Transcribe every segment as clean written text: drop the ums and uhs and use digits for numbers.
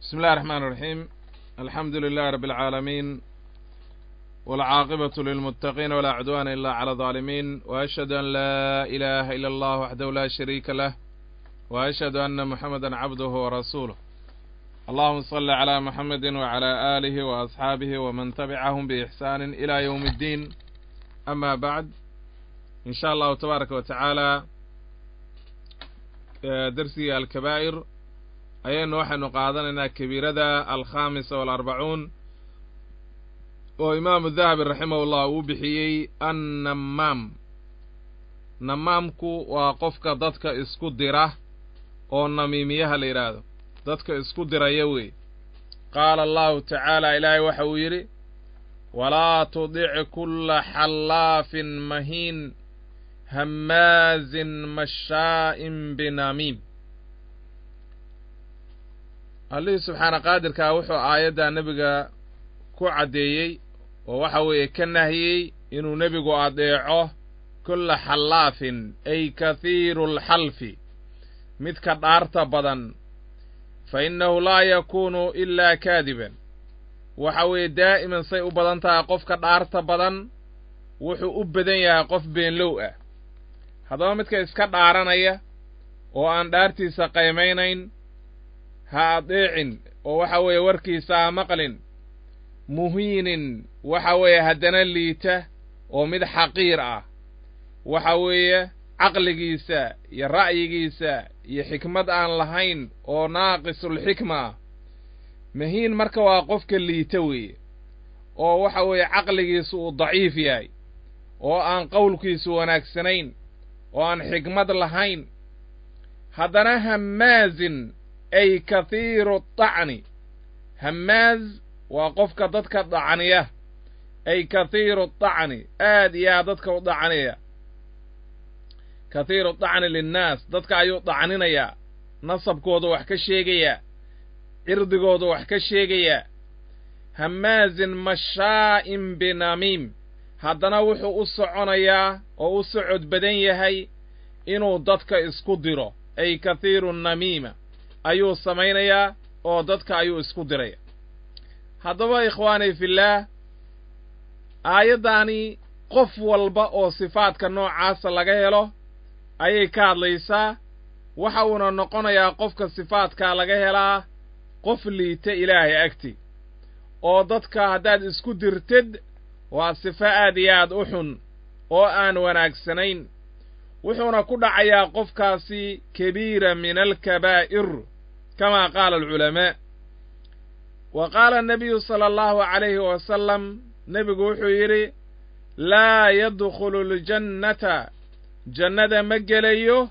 بسم الله الرحمن الرحيم. الحمد لله رب العالمين، والعاقبة للمتقين، ولا عدوان إلا على الظالمين، وأشهد أن لا إله إلا الله وحده لا شريك له، وأشهد أن محمدا عبده ورسوله. اللهم صل على محمد وعلى آله وأصحابه ومن تبعهم بإحسان إلى يوم الدين. أما بعد، إن شاء الله تبارك وتعالى درسي الكبائر ayaynu waxaynu qaadanaynaa kabiirada alkhaamisa waalarbacuun oo imaamu dahabi raximahullah uu bixiyey annamaam. Namaamku waa qofka dadka isku dira oo namiimiyaha la yidhaahdo, dadka isku diraya wey. Qaala allahu tacaala, ilaahay waxa uu yidhi: walaa tudic kulla xallaafin mahiin hammaazin mashaa'in binamiim. Allihii subxaana qaadirkaa wuxuu aayaddaa nebiga ku caddeeyey oo waxa weeye ka nahiyey inuu nebigu adeeco kulla xallaafin, ay kathiiru alxalfi, midka dhaarta badan, fa innahu laa yakuunu ilaa kaadiban. Waxa weeye daa'iman say u badan tahay qofka dhaarta badan wuxuu u badan yahay qof beenlow ah. Haddaba midka iska dhaaranaya oo aan dhaartiisa qaymaynayn ha adeecin, oo waxa weeye warkiisa ha maqlin. Muhiinin waxa weeye haddana liita oo mid xaqiir ah, waxa weeye caqligiisa iyo ra'yigiisa iyo xikmad aan lahayn oo naaqisulxikma ah. Mahiin marka waa qofka liita weeye, oo waxa weeye caqligiisu uu daciif yahay, oo aan qowlkiisu wanaagsanayn, oo aan xikmad lahayn. Haddana hammaazin ay kathiiru dacni, hammaaz waa qofka dadka dacniya, ay kathiiru dacni, aad iyo aad dadka u dacniya, kathiiru dacni linnaas, dadka ayuu dacninayaa, nasabkooda wax ka sheegayaa, cirdigooda wax ka sheegayaa. Hammaazin mashaa'in binamiim, haddana wuxuu u soconayaa oo u socod badan yahay inuu dadka isku diro, ay kathiiru namiima ayuu samaynayaa oo dadka ayuu isku diraya. Haddaba ikhwaani fillaah, aayaddaani qof walba oo sifaadka noocaasa laga helo ayay ka hadlaysaa. Waxa uuna noqonayaa qofka sifaadkaa laga helaa qof liita ilaahay agti, oo dadka haddaad isku dirtid waa sifo aad iyo aad u xun oo aan wanaagsanayn. Wuxuuna ku dhacayaa qofkaasi kabiira min alkabaa'ir, kama qaala alculamaa. Wa qaala annabiyu sala allahu calayhi wasalam, nebigu wuxuu yidhi: laa yadkhulu aljannata, jannada ma gelayo,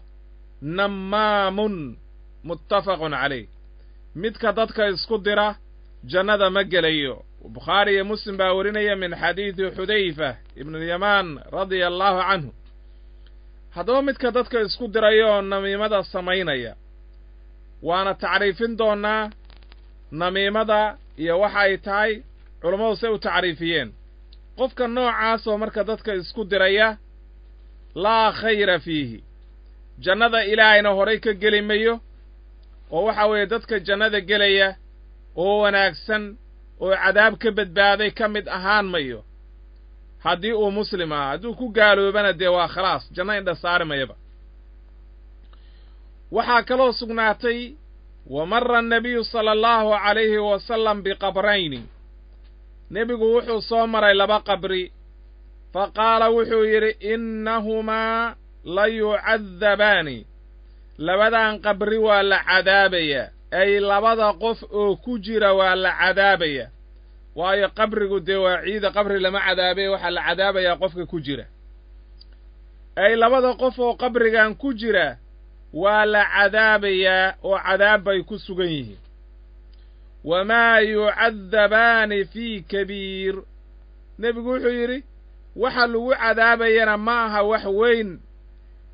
nammaamun. Muttafaqun calayh. Midka dadka isku dira jannada ma gelayo. Bukhaari iyo Muslim baa warinaya min xadiidi Xudayfa ibnulyamaan radia allahu canhu. Haddaba midka dadka isku diraya oo namiimada samaynaya, waana tacriifin doonnaa namiimada iyo waxa ay tahay, culammadu say u tacriifiyeen. Qofka noocaasoo marka dadka isku diraya laa khayra fiihi, jannada ilaahayna horay ka geli mayo, oo waxa weeye dadka jannada gelaya oo wanaagsan oo cadaab ka badbaaday ka mid ahaan mayo haddii uu muslim aha. Hadduu ku gaaloobana dee waa khalaas, janno indha saari mayaba. Waxaa kaloo sugnaatay: wa mara annabiyu sala allahu calayhi wasalam biqabrayni, nebigu wuxuu soo maray laba qabri, fa qaala wuxuu yidhi: innahumaa la yucadabaani, labadan qabri waa la cadaabayaa, ay labada qof oo ku jira waa la cadaabaya. Waayo qabrigu dee waa ciida, qabri lama cadaabay, waxaa la cadaabayaa qofka ku jira. Ay labada qof oo qabrigan ku jira waa la cadaabayaa oo cadaab bay ku sugan yihiin. Wamaa yucadabaani fii kabiir, nebigu wuxuu yidhi waxa lagu cadaabayana ma aha wax weyn.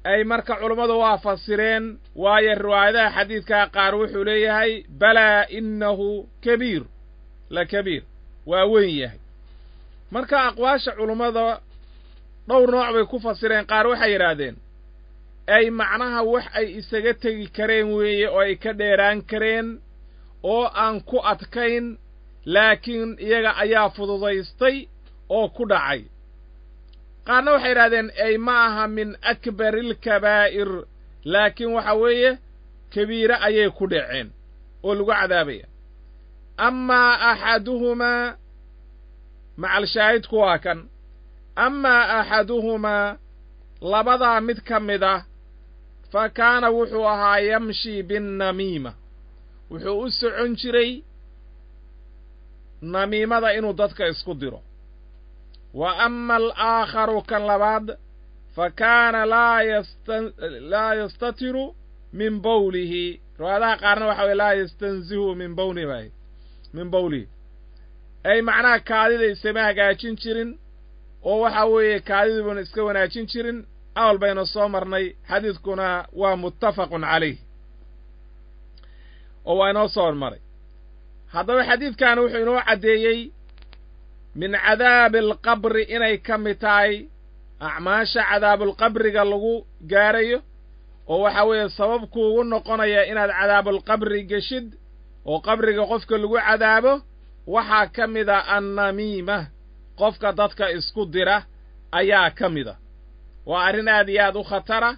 Ay marka culummadu waa fasireen, waayo riwaayadaha xadiidkaa qaar wuxuu leeyahay balaa innahu kabiir, la kabiir, waa weyn yahay. Marka aqwaasha culummada dhowr nooc bay ku fasireen. Qaar waxay yidhaahdeen ay macnaha wax ay isaga tegi kareen weeye oo ay ka dheeraan kareen oo aan ku adkayn, laakiin iyaga ayaa fududaystay oo ku dhacay. Qaarna waxay yidhahdeen ay ma aha min akbarilkabaa'ir, laakiin waxa weeye kabiire ayay ku dhaceen oo lagu cadaabaya. Amaa axaduhumaa, macalshaahidku waa kan, amaa axaduhumaa labadaa mid ka mid ah, fa kaana wuxuu ahaa yamshii binnamiima, wuxuu u socon jiray namiimada inuu dadka isku diro. Wa ama alaakharu kan labaad, fa kaana laa yastatiru min bawlihi. Riwaayadaha qaarna waxa weye laa yastanzihu min bawlihi, min bawlihi, ay macnaha kaadida isama hagaajin jirin, oo waxa weeye kaadiduuna iska wanaajin jirin. Awal baynu soo marnay, xadiidkuna waa muttafaqun calayh oo waa inoo soo maray. Haddaba xadiidkan wuxuu inoo caddeeyey min cadaabi alqabri inay ka mid tahay acmaasha cadaabulqabriga lagu gaarayo, oo waxa weeye sabab kuugu noqonaya inaad cadaabulqabri geshid oo qabriga qofka lagu cadaabo. Waxaa ka mid a annamiima, qofka dadka isku dira ayaa ka mid a. Waa arrin aad iyo aad u khatara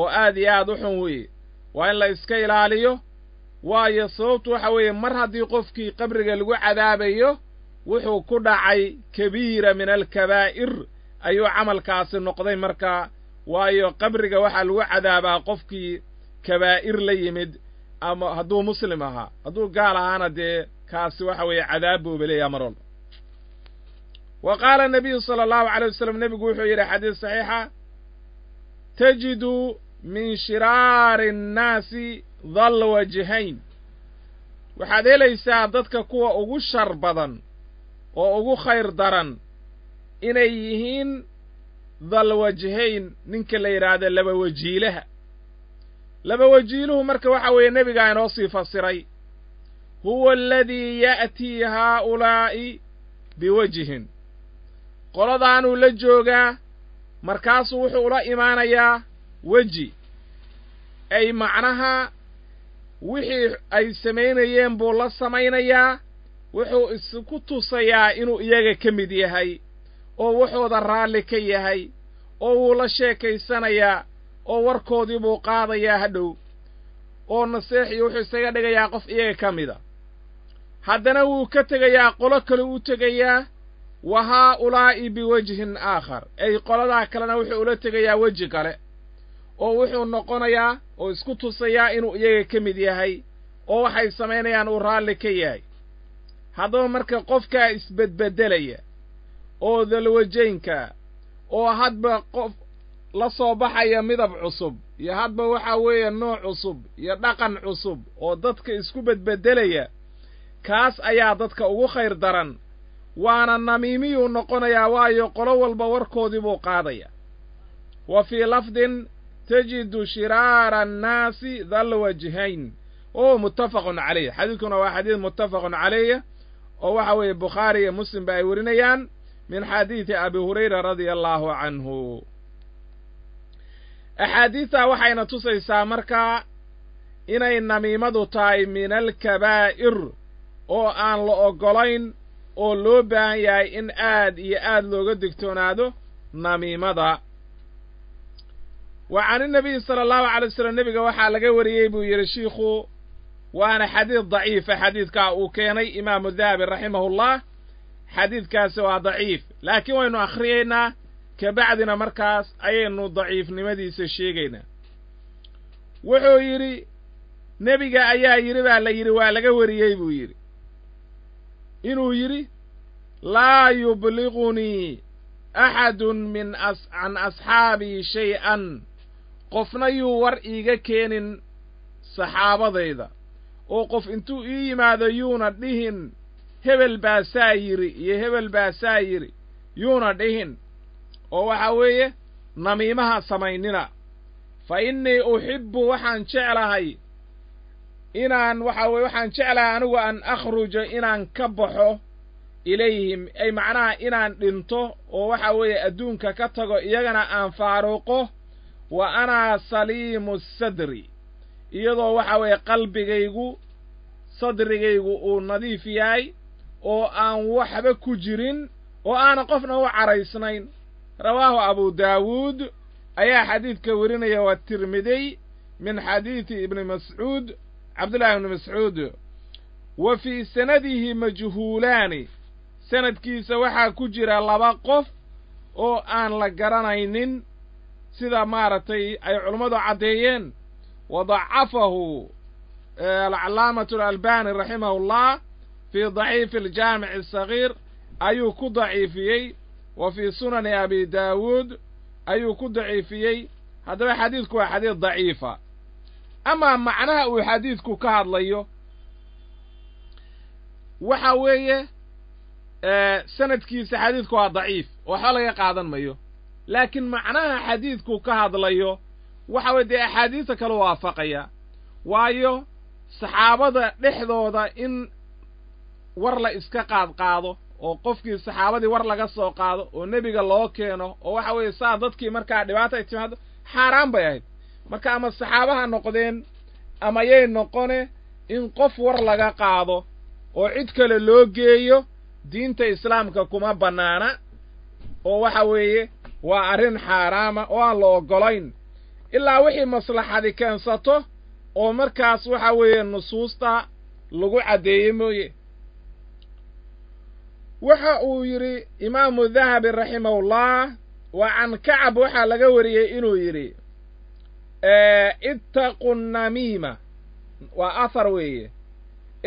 oo aad iyo aad u xun weeye, waa in la iska ilaaliyo. Waayo sababtu waxa weeye mar haddii qofkii qabriga lagu cadaabayo, wuxuu ku dhacay kabiira min alkabaa'ir ayuu camalkaasi noqday markaa. Waayo qabriga waxaa lagu cadaabaa qofkii kabaa'ir la yimid, ama hadduu muslim ahaa, hadduu gaal ahaana dee kaasi waxa weeye cadaab buuba leeyaha mar walba. Wa qaala nabiyu sala allahu alay wasalam, nebigu wuxuu yidhi xadiis saxiixa, tajidu min shiraari annaasi dal wajhayn, waxaad helaysaa dadka kuwa ugu shar badan oo ugu khayr daran inay yihiin dal wajhayn, ninka la yidhaahdo laba wajiilaha. Laba wajiiluhu marka waxa weeye nebigaa inoo sii fasiray, huwa aladii ya'tii haa'ulaa'i biwajhin, qoladaanuu la joogaa, markaasuu wuxuu ula imaanayaa weji, ay macnaha wixii ay samaynayeen buu la samaynayaa, wuxuu isku tusayaa inuu iyaga ka mid yahay oo wuxuuda raalli ka yahay, oo wuu la sheekaysanayaa oo warkoodii buu qaadayaa hadhow, oo naseexiyo wuxuu isaga dhigayaa qof iyaga ka mida. Haddana wuu ka tegayaa, qolo kale u tegayaa, wa haa'ulaa'i biwajhin aakhar, ay qoladaa kalena wuxuu ula tegayaa weji kale, oo wuxuu noqonayaa oo isku tusayaa inuu iyaga ka mid yahay oo waxay samaynayaan uu raalli ka yahay. Haddaba marka qofkaa isbedbeddelaya oo dalwajaynka oo hadba qof la soo baxaya midab cusub iyo hadba waxaa weeye nooc cusub iyo dhaqan cusub oo dadka isku bedbeddelaya, kaas ayaa dadka ugu khayr daran, waana namiimiyuu noqonayaa, waayo qolo walba warkoodii buu qaadaya. Wa fii lafdin tajidu shiraara annaasi dal wajhayn, oo muttafaqun calayh. Xadiidkuna waa xadiid muttafaqun calayh, oo waxa weeye Bukhaari iyo Muslim ba ay warinayaan min xadiidi Abi Hurayra radia allaahu canhu. Axaadiistaa waxayna tusaysaa markaa inay namiimadu tahay min alkabaa'ir oo aan la oggolayn, oo loo baahan yahay in aad iyo aad looga digtoonaado namiimada. Wa can inabiyi sala allahu alay wasalam, nebiga waxaa laga wariyey buu yidhi shiikhu, waana xadiid daciifa xadiidkaa uu keenay imaamu Dahabi raximahullah, xadiidkaasi waa daciif, laakiin waynu akhriyaynaa kabacdina markaas ayaynu daciifnimadiisa sheegaynaa. Wuxuu yidhi nebiga ayaa yidhi baa la yidhi, waa laga wariyey buu yidhi inuu yidhi laa yubligunii axadun min can asxaabii shay-an, qofna yuu war iiga keenin saxaabadayda, oo qof intuu ii yimaado yuuna dhihin hebel baa saa yidhi iyo hebel baa saa yidhi, yuuna dhihin, oo waxaa weeye namiimaha samaynina. Fa innii uxibbu, waxaan jeclahay inaan waxa weye waxaan jeclahay anigu an akhruja inaan ka baxo ilayhim, ay macnaha inaan dhinto oo waxa weeye adduunka ka tago, iyagana aan faaruqo, wa anaa saliimu sadri, iyadoo waxa weeye qalbigaygu sadrigaygu uu nadiif yahay oo aan waxba ku jirin oo aanan qofna u caraysnayn. Rawaahu abu daawuud ayaa xadiidka werinaya, waa Tirmidiy min xadiidi ibni Mascuud, Cabdullahi ibni Mascuud. Wa fii sanadihi majhuulaani, sanadkiisa waxaa ku jira laba qof oo aan la garanaynin, sida maaragtay ay culummadu caddeeyeen. Wa dacafahu alcalaamatu alalbani raximahullah fii daciifi aljaamici asagiir ayuu ku daciifiyey, wa fii sunani abi daawuud ayuu ku daciifiyey. Haddaba xadiidku waa xadiid daciifa. Amaa macnaha uu xadiidku ka hadlayo waxa weeye, sanadkiisa xadiidku waa daciif, waxba laga qaadan mayo, laakiin macnaha xadiidku ka hadlayo waxa weye dee axaadiista kale waafaqaya, waayo saxaabada dhexdooda in war la iska qaadqaado oo qofkii saxaabadii war laga soo qaado oo nebiga loo keeno oo waxa weeye saa dadkii markaa dhibaata ay timaado xaaraan bay ahayd. Marka ama saxaabaha noqdeen ama yay noqone, in qof war laga qaado oo cid kale loo geeyo diinta islaamka kuma bannaana, oo waxa weeye waa arrin xaaraama oo aan la oggolayn, ilaa wixii maslaxadi keensato oo markaas waxa weeye nusuusta lagu caddeeyey mooye. Waxa uu yidhi imaamu Dahabi raximahullah, wa can Kacab waxaa laga wariyey inuu yidhi ittaqu namiima, waa athar weeye,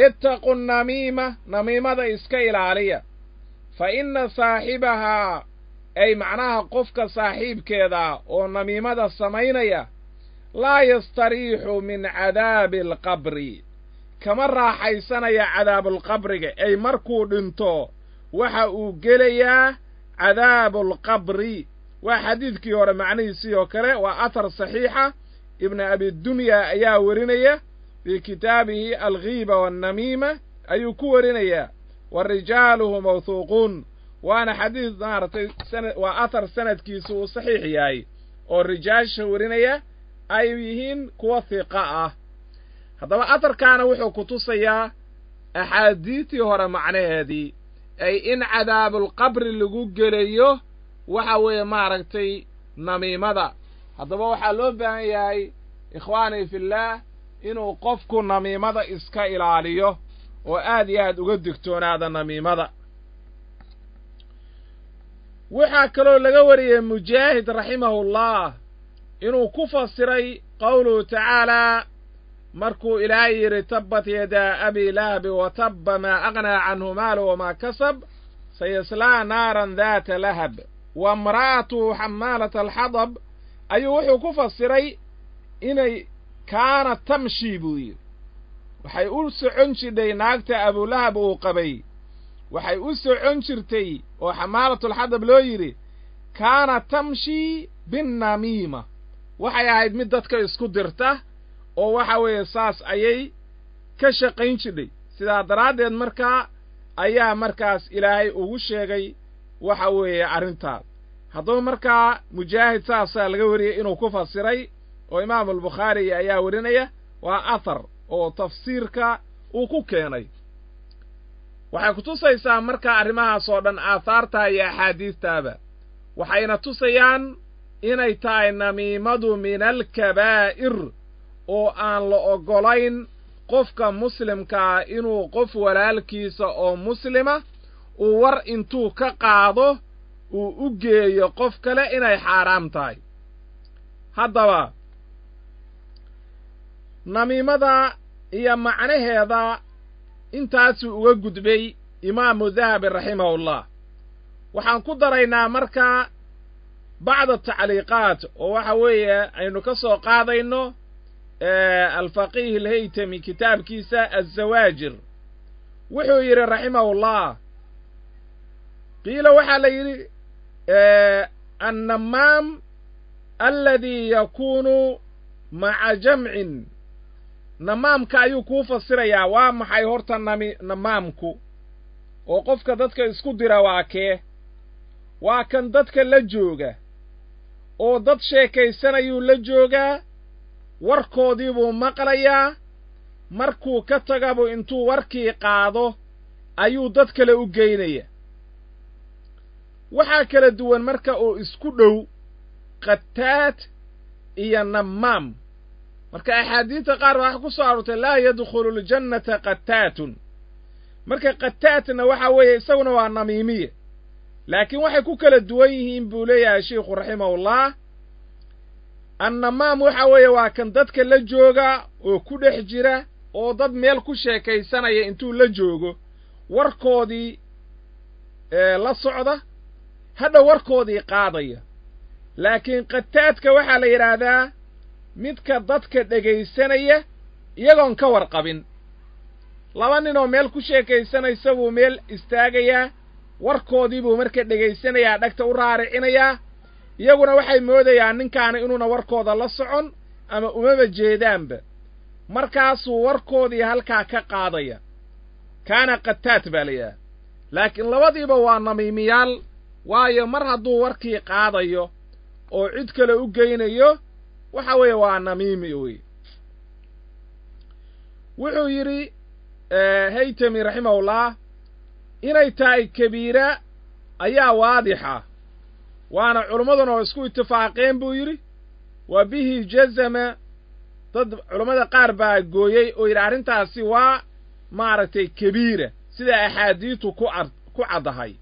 ittaqu namiima, namiimada iska ilaaliya, fa inna saaxibahaa, ay macnaha qofka saaxiibkeeda oo namiimada samaynaya, laa yastariixu min cadaabi alqabri, kama raaxaysanaya cadaabulqabriga, ay markuu dhinto waxa uu gelayaa cadaabulqabri. Waa xadiidkii hore macnihiisii oo kale, waa athar saxiixa, Ibnu Abidunya ayaa werinaya fii kitaabihi Alghiiba wannamiima ayuu ku werinayaa, wa rijaaluhu mawthuuquun, waana xadiid maaragtay waa athar sanadkiisu uu saxiix yahay oo rijaasha werinaya ay yihiin kuwa hiqa ah. Haddaba atharkaana wuxuu ku tusayaa axaadiistii hore macnaheedii, ay in cadaabulqabri lagu gelayo waxa weeye maaragtay namiimada. Haddaba waxaa loo baahan yahay, ikhwaanii fillaah, inuu qofku namiimada iska ilaaliyo oo aad iyo aad uga digtoonaada namiimada. Waxaa kaloo laga wariyey Mujaahid raximahullah inuu ku fasiray qowluhu tacaalaa, markuu Ilaahay yidhi tabbat yadaa abi lahabi wa tabba maa aghnaa canhu maalu wamaa kasab sayaslaa naaran daata lahab wa imra'atuhu xamaalata alxadab, ayuu wuxuu ku fasiray inay kaana tamshi buu yidhi, waxay u socon jidhay naagta Abulahab uu qabay, waxay u socon jirtay oo xamaalatulxadab loo yidhi kaana tamshi binnamiima, waxay ahayd mid dadka isku dirta oo waxa weeye saas ayay ka shaqayn jidhay. Sidaa daraaddeed markaa ayaa markaas Ilaahay ugu sheegay waxa weeye arrintaas. Haddaba markaa Mujaahid saasaa laga wariyey inuu ku fasiray, oo Imaamu Albukhaari ayaa werinaya, waa athar oo tafsiirka uu ku keenay. Waxay ku tusaysaa markaa arrimahaas oo dhan aahaartaa iyo axaadiistaaba, waxayna tusayaan inay tahay namiimadu min alkabaa'ir, oo aan la oggolayn qofka muslimkaa inuu qof walaalkiisa oo muslima uu war intuu ka qaado uu u geeyo qof kale, inay xaaraam tahay. Haddaba namiimada iyo macnaheeda intaasuu uga gudbay Imaamu Dahabi raximahullah. Waxaan ku daraynaa markaa bacda tacliiqaat oo waxa weeye aynu ka soo qaadayno Alfaqiih Alhaytami kitaabkiisa Azawaajir. Wuxuu yidhi raximahullah, qiila waxaa la yidhi annamaam aladii yakuunu maca jamcin, namaamka ayuu kuu fasirayaa. Waa maxay horta namaamku oo qofka dadka isku dira? Waa kee? Waa kan dadka la jooga oo dad sheekaysanayuu la joogaa, warkoodii buu maqlayaa, Markuu ka tagabu intuu warkii qaado ayuu dad kale u geynaya. Waxaa kala duwan marka uu isku dhow qataat iyo namaam. Marka axaadiidta qaar baa waxa ku soo aroortay laa yadkhulu ljannata qataatun. Marka qataatna waxa weeye isaguna waa namiimiye, laakiin waxay ku kala duwan yihiin buu leeyahay sheikhu raximahullah. Annamaam waxa weeye waa kan dadka la jooga oo ku dhex jira oo dad meel ku sheekaysanaya intuu la joogo warkoodii la socda, hadha warkoodii qaadaya. Laakiin qataadka waxaa la yidhaahdaa midka dadka dhegaysanaya iyagoon ka warqabin. Laba ninoo meel ku sheekaysanaysa buu meel istaagayaa, warkoodii buu marka dhegaysanayaa, dhagta u raaricinayaa. Iyaguna waxay moodayaan ninkaani inuuna warkooda la socon ama umaba jeedaanba, markaasuu warkoodii halkaa ka qaadaya. Kaana qataat baa la yidhahdaa. Laakiin labadiiba waa namiimiyaal, waayo mar hadduu warkii qaadayo oo cid kale u geynayo waxa weeye waa namiimi wey. Wuxuu yidhi Haytami raximahullah inay tahay kabiira ayaa waadixa, waana culimmaduna oo isku itifaaqeen buu yidhi. Wa bihi jazama, dad culammada qaar baa gooyey oo yidhi arrintaasi waa maaragtay kabiira, sida axaadiitu ku caddahay,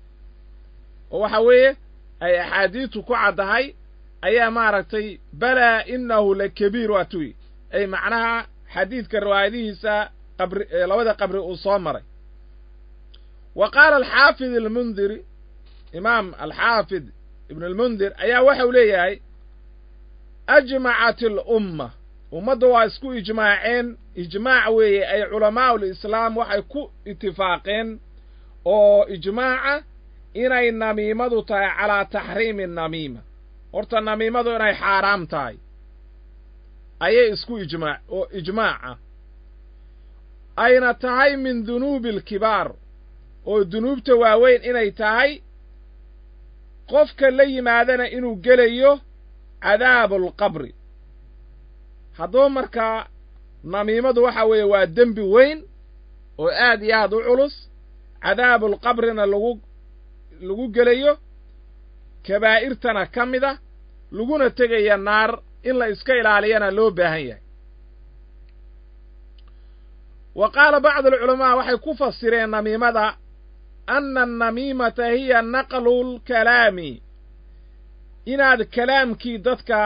oo waxa weeye ay axaadiitu ku caddahay ayaa maaragtay balaa innahu la kabiir waa tuy ay macnaha xadiidka riwaayadihiisa qabri labada qabri uu soo maray. Wa qaala alxaafid almundiri, imaam alxaafid ibn almundir ayaa waxau leeyahay ajmacat alumma, ummadda waa isku ijmaaceen, ijmaac weeye ay culamaa'u lislaam waxay ku itifaaqeen oo ijmaaca inay namiimadu tahay calaa taxriimi namiima. Horta namiimadu inay xaaraam tahay ayay isku ijmaac oo ijmaaca ayna tahay min dunuubi alkibaar, oo dunuubta waaweyn inay tahay, qofka la yimaadana inuu gelayo cadaabulqabri. Haddaba markaa namiimadu waxa weeye waa dembi weyn oo aad iyo aad u culus, cadaabulqabrina lagu gelayo, kabaa'irtana ka mid a, laguna tegaya naar, in la iska ilaaliyana loo baahan yahay. Wa qaala bacdu alculamaa waxay ku fasireen namiimada anna annamiimata hiya naqlu lkalaami, inaad kalaamkii dadka,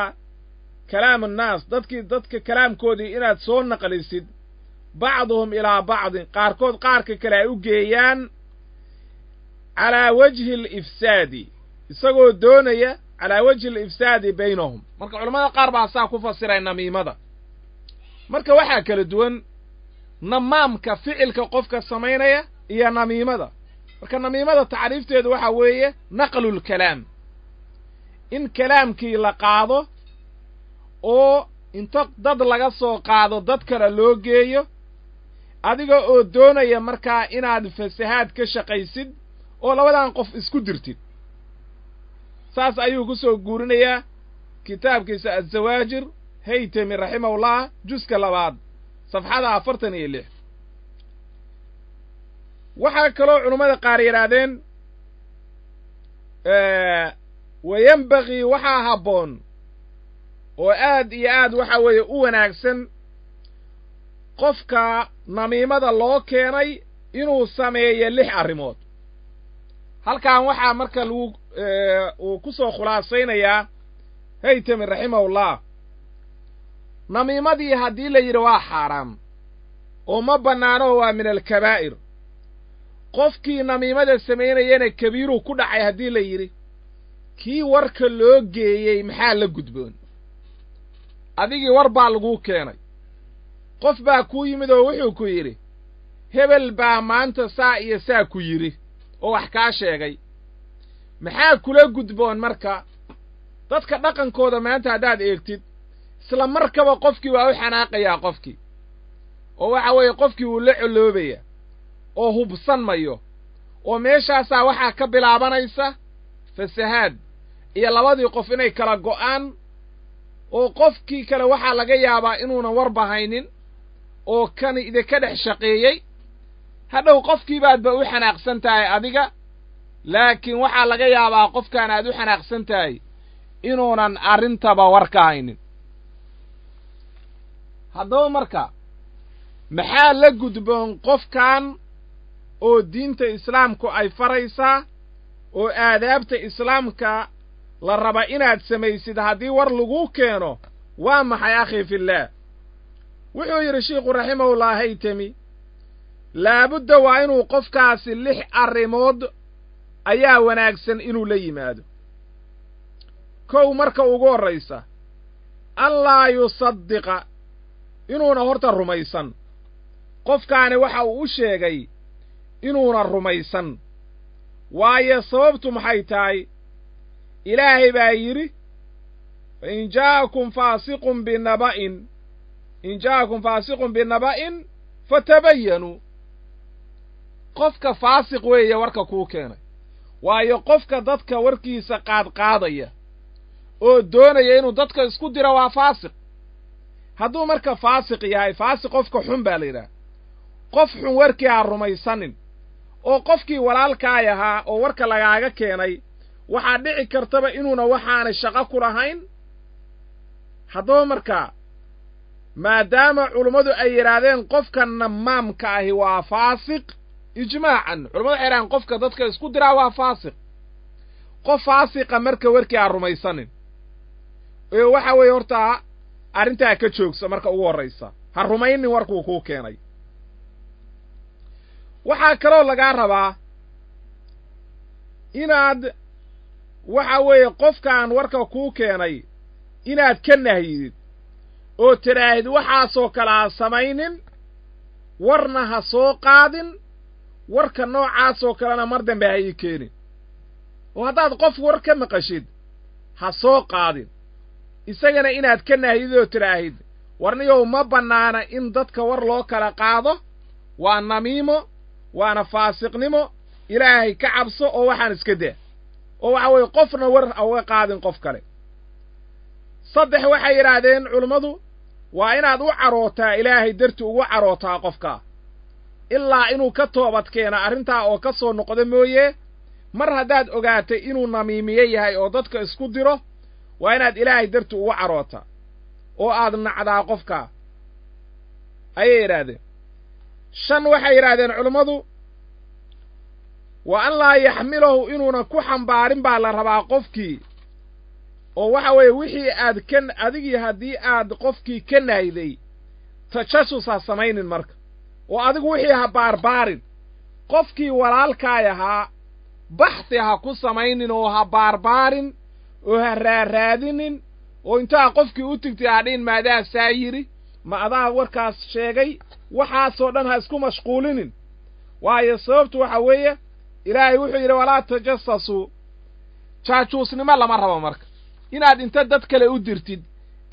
kalaam annaas, dadkii dadka kalaamkoodii inaad soo naqlisid, bacduhum ilaa bacdin, qaarkood qaarka kale ay u geeyaan, calaa wajhi alifsaadi, isagoo doonaya calaa wajhi alifsaadi baynahum. Marka culamada qaar baa saa ku fasiray namiimada. Marka waxaa kala duwan namaamka ficilka qofka samaynaya iyo namiimada. Marka namiimada tacriifteedu waxaa weeye naqlulkalaam, in kalaamkii la qaado oo inta dad laga soo qaado dad kale loo geeyo, adiga oo doonaya markaa inaad fasahaad ka shaqaysid oo labadan qof isku dirtid. Saas ayuu ku soo guurinayaa kitaabkiisa Azawaajir Haytami raximahullah, juska 2 safxada 46. Waxaa kaloo culummada qaar yidhaahdeen wayenbagii, waxaa habboon oo aad iyo aad waxa weeye u wanaagsan qofka namiimada loo keenay inuu sameeyo 6 arrimood. Halkan waxaa marka lagu uu ku soo khulaasaynayaa Haytami raximahullah, namiimadii haddii la yidhi waa xaaraam oo ma bannaano, waa min alkabaa'ir, qofkii namiimada samaynayana kabiiruu ku dhacay haddii la yidhi, kii warka loo geeyey maxaa la gudboon? Adigii war baa laguu keenay, qof baa kuu yimid oo wuxuu ku yidhi hebel baa maanta saa iyo saa ku yidhi oo wax kaa sheegay, maxaa kula gudboon? Marka dadka dhaqankooda maanta haddaad eegtid, isla markaba qofkii waa u xanaaqayaa qofkii, oo waxa weeye qofkii wuu la colloobaya oo hubsan mayo, oo meeshaasaa waxaa ka bilaabanaysa fasahaad iyo labadii qof inay kala go'aan, oo qofkii kale waxaa laga yaabaa inuunan warba haynin, oo kan idinka dhex shaqeeyey. Hadhow qofkii baadba u xanaaqsan tahay adiga, laakiin waxaa laga yaabaa qofkaan aad u xanaaqsan tahay inuunan arrintaba war ka haynin. Haddaba marka maxaa la gudboon qofkan oo diinta islaamku ay faraysaa oo aadaabta islaamka la raba inaad samaysid haddii war laguu keeno? Waa maxay akhii fillaah? Wuxuu yidhi shiikhu raximahullah haytami, laabudda waa inuu qofkaasi 6 arrimood ayaa wanaagsan inuu la yimaado. 1, marka ugu horraysa, allaa yusaddiqa, inuuna horta rumaysan. Qofkaani waxa uu u sheegay inuuna rumaysan. Waayo sababtu maxay tahay? Ilaahay baa yidhi, fa in jaa'akum faasiqun binaba'in, in jaa'akum faasiqun binaba'in fatabayanuu. Qofka faasiq weeye warka kuu keenay. Waayo qofka dadka warkiisa qaadqaadaya oo doonaya inuu dadka isku diro waa faasiq. Hadduu marka faasiq yahay, faasiq qofka xun baa la yidhaha. Qof xun warkii ha rumaysanin, oo qofkii walaalkaay ahaa oo warka lagaaga keenay waxaa dhici kartaba inuuna waxaanay shaqo ku lahayn. Haddaba marka maadaama culummadu ay yidhaahdeen qofka namaamka ahi waa faasiq ijmaacan, culamadu waxay yidhahdeen qofka dadka isku diraa waa faasiq. Qof faasiqa marka warkii ha rumaysanin, ee waxa weeye horta arrintaa ka joogsa marka ugu horraysa, ha rumaynin warkuu kuu keenay. Waxaa kaloo lagaa rabaa inaad waxa weeye qofkaan warka kuu keenay inaad ka nahyidid oo tidhaahid waxaasoo kale ha samaynin, warna ha soo qaadin, warka noocaasoo kalena mar dambe ha ii keenin. Oo haddaad qof war ka maqashid ha soo qaadin, isagana inaad ka nahyidid oo tidhaahid warniyow ma bannaana in dadka war loo kala qaado, waa namiimo, waana faasiqnimo, ilaahay ka cabso oo waxaan iska daa. Oo waxa weeye qofna war ha uga qaadin qof kale. 3, waxay yidhaahdeen culummadu waa inaad u carootaa, ilaahay darti ugu carootaa qofkaa, ilaa inuu ka toobad keena arrintaa oo ka soo noqdo mooye. Mar haddaad ogaatay inuu namiimiye yahay oo dadka isku diro, waa inaad ilaahay darti ugu carootaa oo aad nacdaa qofkaa, ayay yidhaahdeen. 5, waxay yidhaahdeen culummadu wa an laa yaxmilahu, inuuna ku xambaarin baa la rabaa qofkii, oo waxa weeye wixii aad ka adigii haddii aad qofkii ka nahday tajasus ha samaynin marka, oo adigu wixii ha baarbaarin. Qofkii walaalkaay ahaa baxthi ha ku samaynin oo ha baarbaarin oo ha raaraadinin, oo intaa qofkii u tigtay ha dhihin maadaa saa yidhi, ma adaa warkaas sheegay, waxaasoo dhan ha isku mashquulinin. Waayo sababtu waxa weeye ilaahay wuxuu yidhi walaa tajasasuu, jaajuusnimo lama rabo marka inaad inta dad kale u dirtid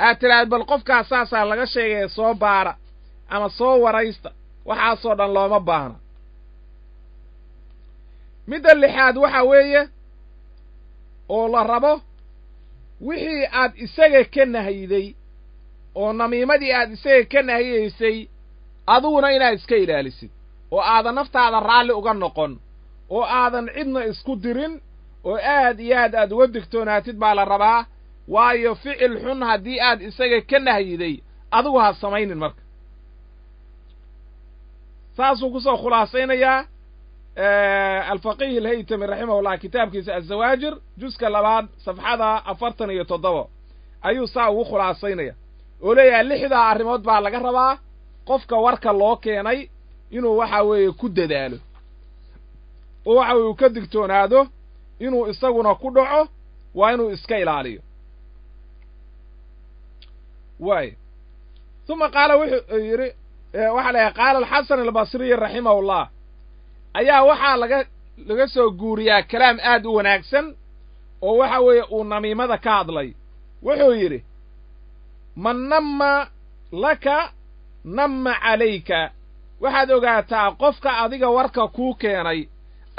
aad tidhaahd bal qofkaas saasaa laga sheegaya soo baara ama soo waraysta, waxaasoo dhan looma baahna. Midda 6aad waxa weeye oo la rabo wixii aad isaga ka nahyiday oo namiimadii aad isaga ka nahyaysay adiguna inaad iska ilaalisid, oo aadan naftaada raalli uga noqon, oo aadan cidna isku dirin, oo aad iyo aad aad uga digtoonaatid baa la rabaa. Waayo ficil xun haddii aad isaga ka nahyiday adigu ha samaynin marka. Saasuu kusoo khulaasaynayaa alfaqiih alhaytami raximahullah kitaabkiisa azawaajir juska 2 safxada 47 ayuu saa ugu khulaasaynaya, oo leeyahay 6 arrimood baa laga rabaa qofka warka loo keenay inuu waxa weeye ku dadaalo, oo waxa weye uu ka digtoonaado inuu isaguna ku dhaco, waa inuu iska ilaaliyo. Waay uma qaala wuxuu yidhi, waxa la yahay qaala alxasan albasriy raximahullah, ayaa waxaa laga soo guuriyaa kalaam aad u wanaagsan oo waxa weeye uu namiimada ka hadlay. Wuxuu yidhi man namma laka namma calayka, waxaad ogaataa qofka adiga warka kuu keenay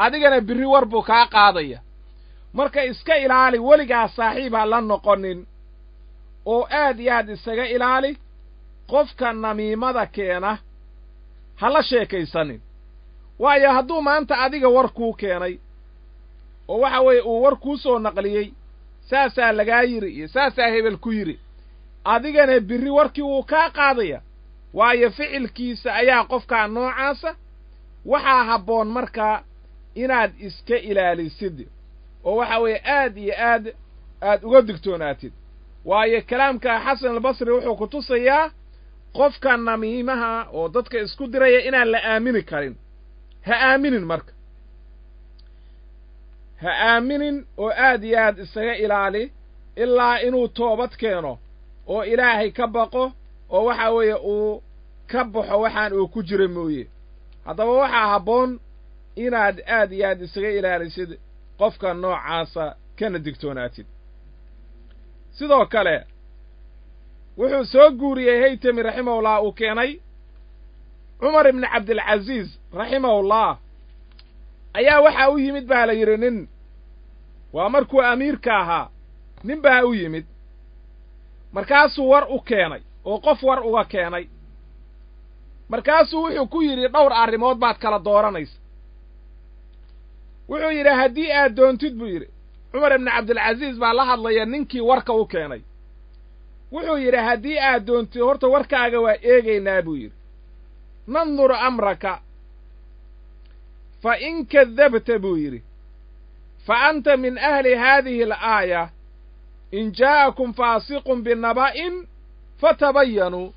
adigana birri war buu kaa qaadaya. Marka iska ilaali, weligaa saaxiib ha la noqonin, oo aad iyo aad isaga ilaali. Qofka namiimada keena ha la sheekaysanin, waayo hadduu maanta adiga war kuu keenay oo waxa weeye uu war kuu soo naqliyey, saasaa lagaa yidhi iyo saasaa hebel ku yidhi, adigana birri warkii wuu kaa qaadaya, waayo ficilkiisa ayaa qofkaa noocaasa. Waxaa habboon markaa inaad iska ilaalisid oo waxa weeye aad iyo aad aad uga digtoonaatid, waayo kalaamka Xasan Albasri wuxuu ku tusayaa qofka namiimaha oo dadka isku diraya inaan la aamini karin. Ha aaminin marka, ha aaminin oo aad iyo aad isaga ilaali ilaa inuu toobad keeno oo Ilaahay ka baqo oo waxa weeye uu ka baxo waxaan uu ku jira mooye. Haddaba waxaa habboon inaad aad iyo aad isaga ilaalisid qofka noocaasa kana digtoonaatid. Sidoo kale wuxuu soo guuriyey Haytami raximahullah uu keenay Cumar ibni Cabdilcasiis raximahullah ayaa waxaa u yimid baa la yidhi nin, waa markuu amiirka ahaa, nin baa u yimid, markaasuu war u keenay oo qof war uga keenay. Markaasuu wuxuu ku yidhi dhowr arrimood baad kala dooranaysa. Wuxuu yidhi haddii aad doontid buu yidhi, Cumar ibni Cabdilcasiis baa la hadlaya ninkii warka u keenay. Wuxuu yidhi haddii aad doontid horta warkaaga waa eegaynaa buu yidhi, nandur amraka, fa in kadabta buu yidhi fa anta min ahli haadihi alaaya in jaa'akum faasiqun binaba'in fatabayanuu.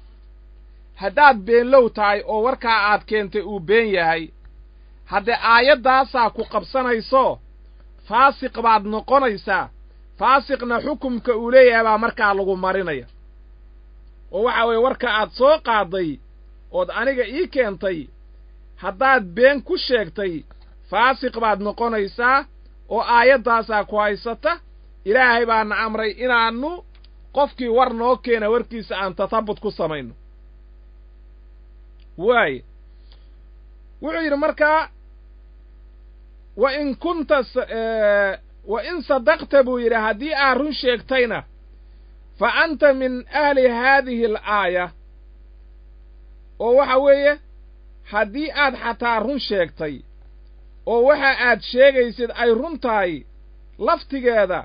Haddaad beenlow tahay oo warkaa aad keentay uu been yahay, haddee aayaddaasaa ku qabsanayso, faasiq baad noqonaysaa. Faasiqna xukumka uu leeyahay baa markaa lagu marinaya, oo waxa weeye warka aad soo qaaday ood aniga ii keentay haddaad been ku sheegtay faasiq baad noqonaysaa oo aayaddaasaa ku haysata. Ilaahay baana amray inaannu qofkii war noo keena warkiisa aan tatabut ku samayno. Waaye wuxuu yidhi markaa wa in kunta wa in sadaqta buu yidhi haddii aad run sheegtayna fa anta min ahli haadihi alaaya. Oo waxa weeye haddii aad xataa run sheegtay oo waxa aad sheegaysid ay run tahay laftigeeda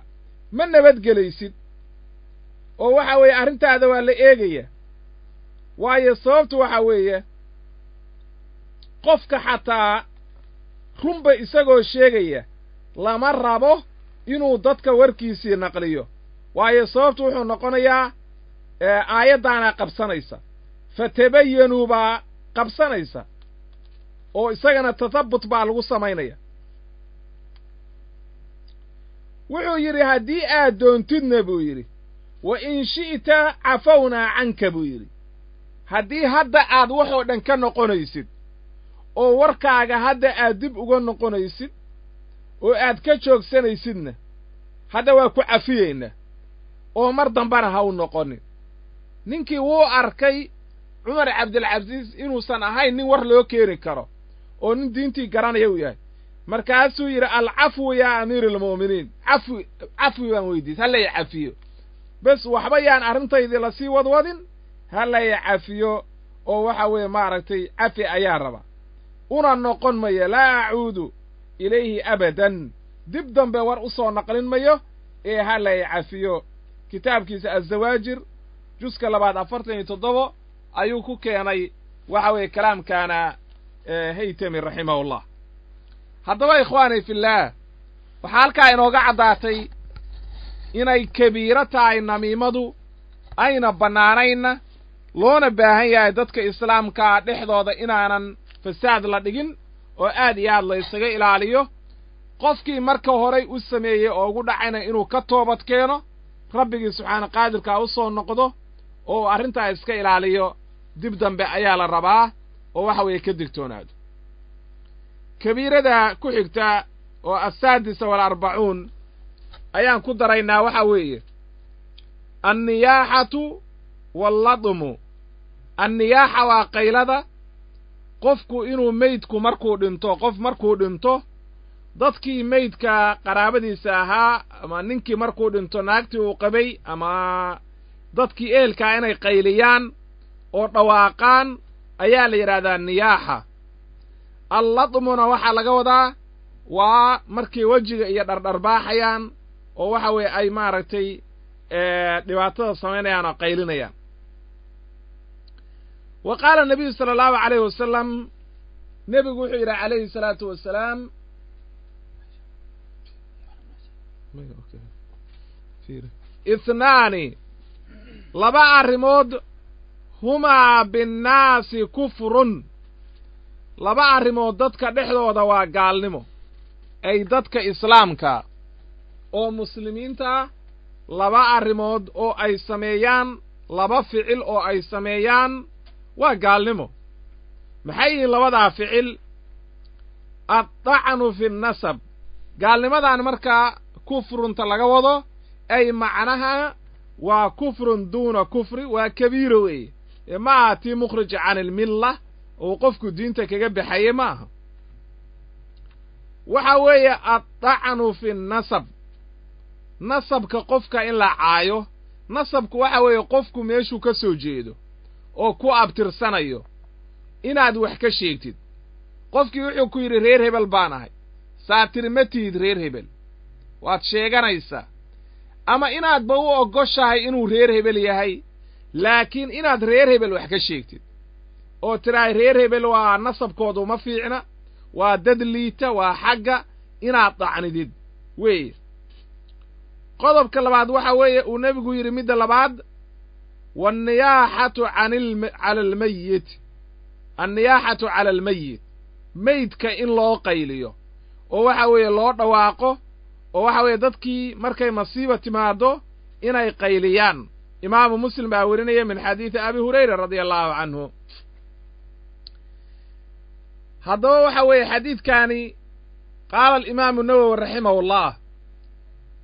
ma nabadgelaysid, oo waxa weeye arrintaada waa la eegaya. Waayo sababtu waxa weeye qofka xataa runba isagoo sheegaya lama rabo inuu dadka warkiisii naqliyo, waayo sababtu wuxuu noqonayaa aayaddaanaa qabsanaysa, fatabayanuu baa qabsanaysa, oo isagana tatabut baa lagu samaynaya. Wuxuu yidhi haddii aad doontidna buu yidhi wa in shi'ta cafawnaa canka buu yidhi, haddii hadda aad waxoo dhan ka noqonaysid oo warkaaga hadda aad dib uga noqonaysid oo aad ka joogsanaysidna hadda waa ku cafiyeynaa oo mar dambana ha u noqonin. Ninkii wuu arkay Cumar Cabdilcasiis inuusan ahayn nin war loo keeni karo oo nin diintii garanaya uu yahay. Markaasuu yidhi alcafwu yaa amiir almu'miniin, cafwi cafwi baan weydiis, ha lay cafiyo bes, waxba yaan arrintaydii lasii wadwadin, ha lay cafiyo oo waxa weeye maaragtay cafi ayaa raba, una noqon mayo, laa acuudu ilayhi abadan, dib dambe war u soo naqlin mayo ee ha lay cafiyo. Kitaabkiisa Azawaajir juska 2 47 ayuu ku keenay waxa weeye kalaamkaana Haytami raximahullah. Haddaba ikhwaani fillaah, waxaa halkaa inooga caddaatay inay kabiiro tahay namiimadu, ayna bannaanaynna, loona baahan yahay dadka islaamkaa dhexdooda inaanan fasaad la dhigin oo aad iyo aad la ysaga ilaaliyo. Qofkii marka horay u sameeyey oo ugu dhacayna inuu ka toobad keeno, rabbigii subxaana qaadirkaa u soo noqdo oo uu arrintaa iska ilaaliyo, dib dambe ayaa la rabaa oo waxa weeye ka digtoonaado. Kabiirada ku xigta oo asaadisa walarbacuun ayaan ku daraynaa, waxa weeye anniyaaxatu walladmu. Anniyaaxa waa qaylada, qofku inuu meydku markuu dhinto, qof markuu dhinto dadkii meydka qaraabadiisa ahaa ama ninkii markuu dhinto naagtii uu qabay ama dadkii ehelkaa inay qayliyaan oo dhawaaqaan ayaa la yidhaahdaa niyaaxa. Alladmuna waxaa laga wadaa waa markay wejiga iyo dhardharbaaxayaan oo waxa weeye ay maaragtay dhibaatada samaynayaan oo qaylinayaan. Wa qaala nabiyu sala allahu calayhi wasalam, nebigu wuxuu yidhi calayhi salaatu wasalaam, ithnaani, laba arrimood, humaa binnaasi kufrun, laba arrimood dadka dhexdooda waa gaalnimo, ay dadka islaamka oo muslimiinta ah laba arrimood oo ay sameeyaan, laba ficil oo ay sameeyaan waa gaalnimo. Maxay yihiin labadaa ficil? Addacnu fi nnasab. Gaalnimadan markaa kufrunta laga wado ay macnaha waa kufrun duuna kufri, waa kabiiro weeye, ee ma aha tii mukhrij can ilmilla uu qofku diinta kaga baxaye ma aha. Waxa weeye addacnu fi nnasab, nasabka qofka in la caayo. Nasabku waxa weeye qofku meeshuu ka soo jeedo oo ku abtirsanayo inaad wax ka sheegtid. Qofkii wuxuu ku yidhi reer hebel baan ahay, saa tiri ma tihid reer hebel, waad sheeganaysaa. Ama inaadba u oggoshahay inuu reer hebel yahay, laakiin inaad reer hebel wax ka sheegtid oo tidhaahay reer hebel waa nasabkoodu ma fiicna, waa dad liita, waa xagga, inaad dacnidid weeye. Qodobka labaad waxa weeye uu nebigu yidhi midda labaad, wanniyaaxatu cala almayit, anniyaaxatu cala almayit, meydka in loo qayliyo oo waxa weeye loo dhawaaqo, oo waxa weeye dadkii markay masiiba timaaddo inay qayliyaan. Imaamu Muslim baa werinaya min xadiidi Abi Hurayra radia allahu canhu. Haddaba waxa weeye xadiidkaani, qaala alimaamu Nawowi raximahullah,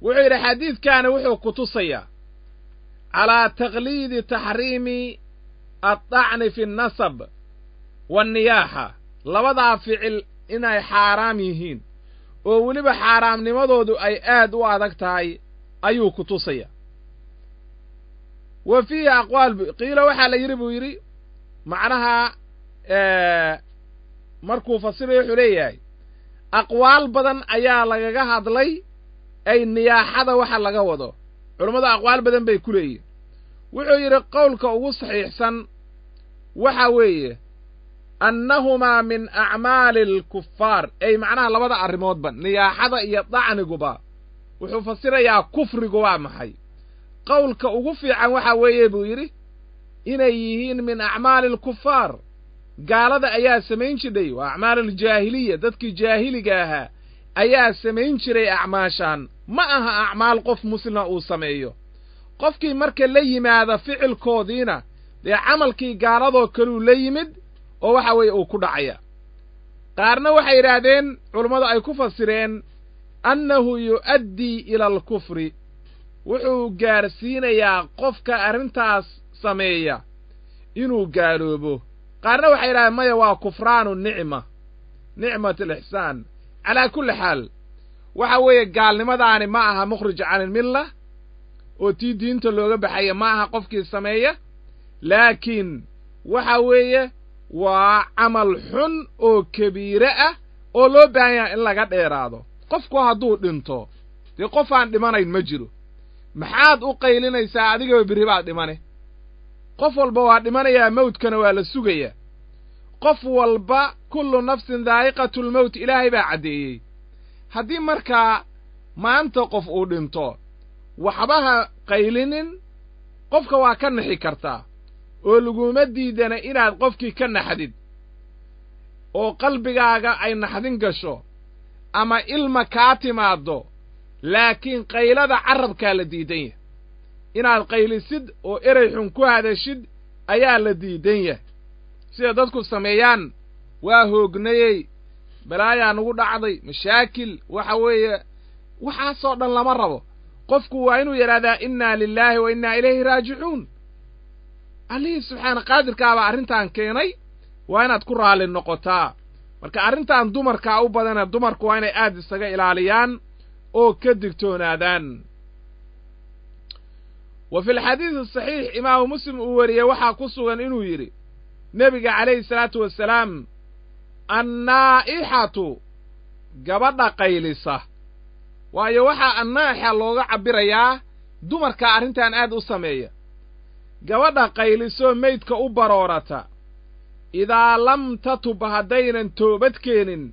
wuxuu yidhi xadiidkaani wuxuu ku tusayaa calaa taqliidi taxriimi addacni fi nnasab wanniyaaxa, labadaa ficil inay xaaraam yihiin oo weliba xaaraamnimadoodu ay aad u adag tahay ayuu ku tusaya. Wa fiihi aqwaal, qiila waxaa la yidhi buu yidhi, macnaha markuu fasirayo wuxuu leeyahay aqwaal badan ayaa lagaga hadlay ay niyaaxada waxa laga wado, culammadu aqwaal badan bay ku leeyihin. Wuxuu yidhi qowlka ugu saxiixsan waxa weeye annahumaa min acmaali alkufaar, ay macnaha labada arrimoodba niyaaxada iyo dacniguba, wuxuu fasirayaa kufrigu waa maxay. Qowlka ugu fiican waxa weeye buu yidhi inay yihiin min acmaali alkufaar, gaalada ayaa samayn jidhay, waa acmaal aljaahiliya, dadkii jaahiliga ahaa ayaa samayn jiray acmaashaan, ma aha acmaal qof muslima uu sameeyo. Qofkii marka la yimaada ficilkoodiina dee camalkii gaaladoo kaluu la yimid oo waxa weeye uu ku dhacaya. Qaarna waxay yidhaahdeen culummadu ay ku fasireen annahu yu'addii ila alkufri, wuxuu gaarsiinayaa qofka arrintaas sameeya inuu gaaloobo. Qaarna waxay yidhahdeen maya, waa kufraanu nicma, nicmat alixsaan. Calaa kulli xaal waxa weeye gaalnimadaani ma aha mukhrij can ilmilla oo tii diinta looga baxaya ma aha qofkii sameeya, laakiin waxa weeye waa camal xun oo kabiire ah oo loo baahan yahay in laga dheeraado. Qofku hadduu dhinto dee qof aan dhimanayn ma jiro, maxaad u qaylinaysaa adigaba berri baad dhimane. Qof walba waa dhimanayaa, mawdkana waa la sugayaa. Qof walba kullu nafsin daa'iqatulmowt, ilaahay baa caddeeyey. Haddii markaa maanta qof uu dhinto, waxba ha qaylinin, qofka waa ka naxi kartaa oo laguma diidana inaad qofkii ka naxdid oo qalbigaaga ay naxdin gasho ama ilma kaa timaaddo, laakiin qaylada carrabkaa la diidan yahay. Inaad qaylisid oo erey xun ku hadashid ayaa la diidan yahay, sida dadku sameeyaan. Waa hoognayey, balaayaa nagu dhacday, mashaakil, waxa weeye waxaasoo dhan lama rabo. Qofku waa inuu yidhahdaa innaa lilaahi wa innaa ilayhi raajicuun. Allihii subxaana qaadirkaabaa arrintan keenay, waa inaad ku raalli noqotaa. Marka arrintan dumarkaa u badana, dumarku waa inay aad isaga ilaaliyaan oo ka digtoonaadaan. Wa fi alxadiidi asaxiix imaamu Muslim uu wariyey waxaa ku sugan inuu yidhi nebiga calayhi salaatu wasalaam, annaa'ixatu gabadha qaylisa. Waayo waxaa annaa'ixa looga cabbirayaa dumarka arrintan aad u sameeya. Gabadha qaylisoo meydka u baroorata, idaa lam tatub haddaynan toobad keenin,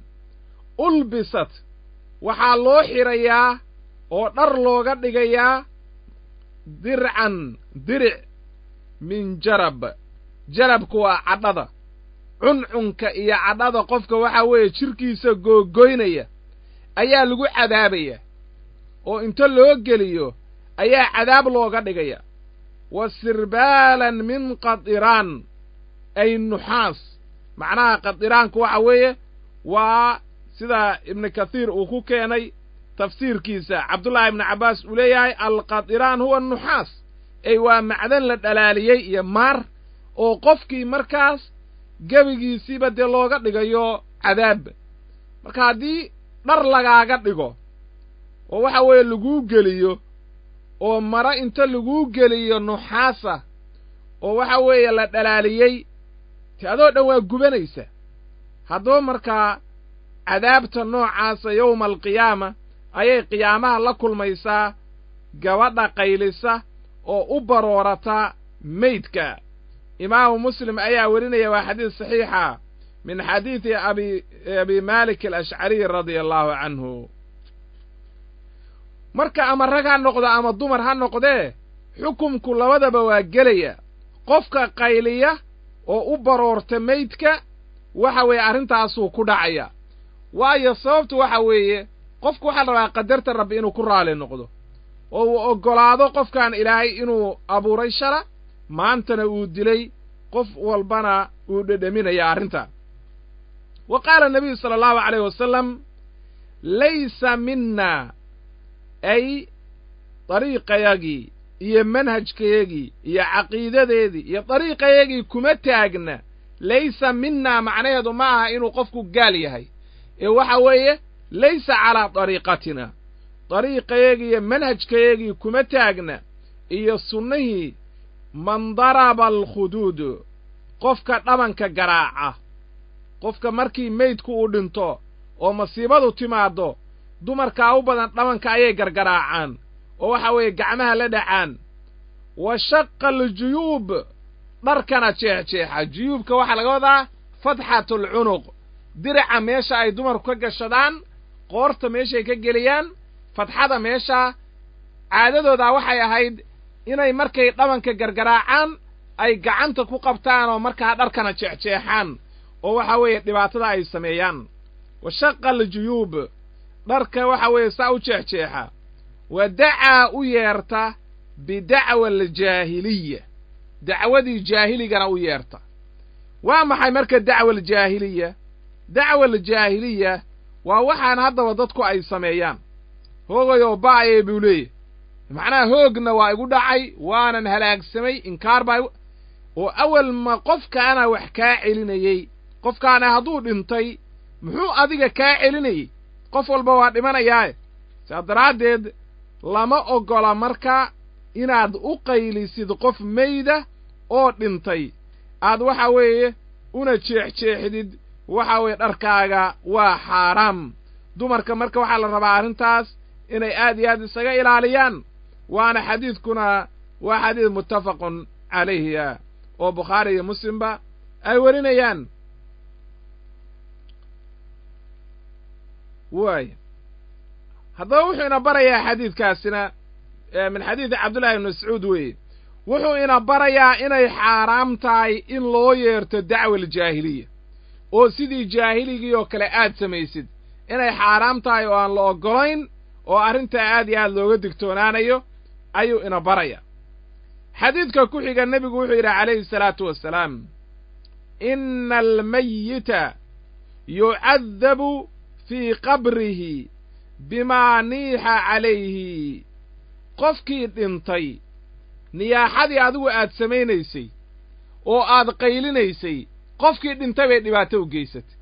ulbisat waxaa loo xidhayaa oo dhar looga dhigayaa dircan diric min jarab. Jarabku waa cadhada, cuncunka iyo cadhada qofka waxaa weeye jidhkiisa googoynaya ayaa lagu cadaabaya, oo inta loo geliyo ayaa cadaab looga dhigaya. Wa sirbaalan min qadiraan, ay nuxaas. Macnaha qadiraanku waxa weeye waa sida Ibnu Kathiir uu ku keenay tafsiirkiisa, Cabdullaahi ibnu Cabbaas uu leeyahay alqadiraan huwa nuxaas, ay waa macdan la dhalaaliyey iyo maar, oo qofkii markaas gebigiisiiba dee looga dhigayo cadaab. Marka haddii dhar lagaaga dhigo oo waxa weeye laguu geliyo, oo maro inta laguu geliyo nuxaasa oo waxa weeye la dhalaaliyey, te adoo dhan waa gubanaysa. Haddaba markaa cadaabta noocaasa yowma alqiyaama ayay qiyaamaha la kulmaysaa gabadha qaylisa oo u baroorata meydka. Imaamu Muslim ayaa werinaya, waa xadiis saxiixa min xadiidi Abi Maalik alashcariy radia allahu canhu. Marka ama rag ha noqdo ama dumar ha noqdee, xukumku labadaba waa gelaya. Qofka qayliya oo u baroorta meydka waxa weeye arrintaasuu ku dhacaya. Waayo sababtu waxa weeye qofku waxaa la rabaa qadarta Rabbi inuu ku raali noqdo, oo uu oggolaado qofkan Ilaahay inuu abuuray shala, maantana uu dilay, qof walbana uu dhedheminaya arrintaa. Wa qaala nabiyu sala allahu calayh wasalam, laysa minna, ay dariiqayagii iyo manhajkayagii iyo caqiidadeedii iyo dariiqayagii kuma taagna. Laysa minna macnaheedu ma aha inuu qofku gaal yahay, ee waxa weeye laysa calaa dariiqatina, dariiqayagii iyo manhajkayagii kuma taagna iyo sunnihii. Man daraba alkhuduud, qofka dhabanka garaaca, qofka markii meydku uu dhinto oo masiibadu timaaddo, dumarkaa u badan dhabanka ayay gargaraacaan oo waxa weeye gacmaha la dhacaan. Wa shaqa aljuyuub, dharkana jeexjeexa. Juyuubka waxaa laga wadaa fatxatulcunuq, diraca meesha ay dumarku ka gashadaan, qoorta meeshay ka geliyaan, fatxada meesha. Caadadoodaa waxay ahayd inay markay dhabanka gargaraacaan ay gacanta ku qabtaan oo markaa dharkana jeexjeexaan, oo waxa weeye dhibaatada ay sameeyaan. Wa shaqa aljuyuub, dharka waxa weeye saa u jeexjeexa. Wa dacaa, u yeerta, bidacwa aljaahiliya, dacwadii jaahiligana u yeerta. Waa maxay marka dacwa aljaahiliya? Dacwa aljaahiliya waa waxaan haddaba dadku ay sameeyaan. Hoogayoo ba'ayee buu leeyahy, macnaha hoogna waa igu dhacay, waanan halaagsamay, inkaar baa. Oo awal ma qofkaana wax kaa celinayey? Qofkaana hadduu dhintay muxuu adiga kaa celinayey? Qof walba waa dhimanayaae. Saa daraaddeed lama oggola marka inaad u qaylisid qof meyda oo dhintay, aad waxa weeye una jeexjeexdid waxa weeye dharkaaga, waa xaaraam. Dumarka marka waxaa la rabaa arrintaas inay aad iyo aad isaga ilaaliyaan. Waana xadiidkuna waa xadiid muttafaqun calayhi oo Bukhaari iyo Muslimba ay warinayaan. Waay haddaba wuxuu ina barayaa xadiidkaasina, min xadiidi Cabdullahi ibni Mascuud weeye, wuxuu ina barayaa inay xaaraam tahay in loo yeerto dacwa aljaahiliya, oo sidii jaahiligii oo kale aad samaysid inay xaaraam tahay oo aan la oggolayn, oo arrintaa aad iyo aad looga digtoonaanayo ayuu ina baraya. Xadiidka ku xiga nebigu wuxuu yidhi calayhi salaatu wassalaam, ina almayita yucadabu fii qabrihi bimaa niixa calayhi. Qofkii dhintay niyaaxadii adigu aad samaynaysay oo aad qaylinaysay, qofkii dhintay bay dhibaato u geysatay.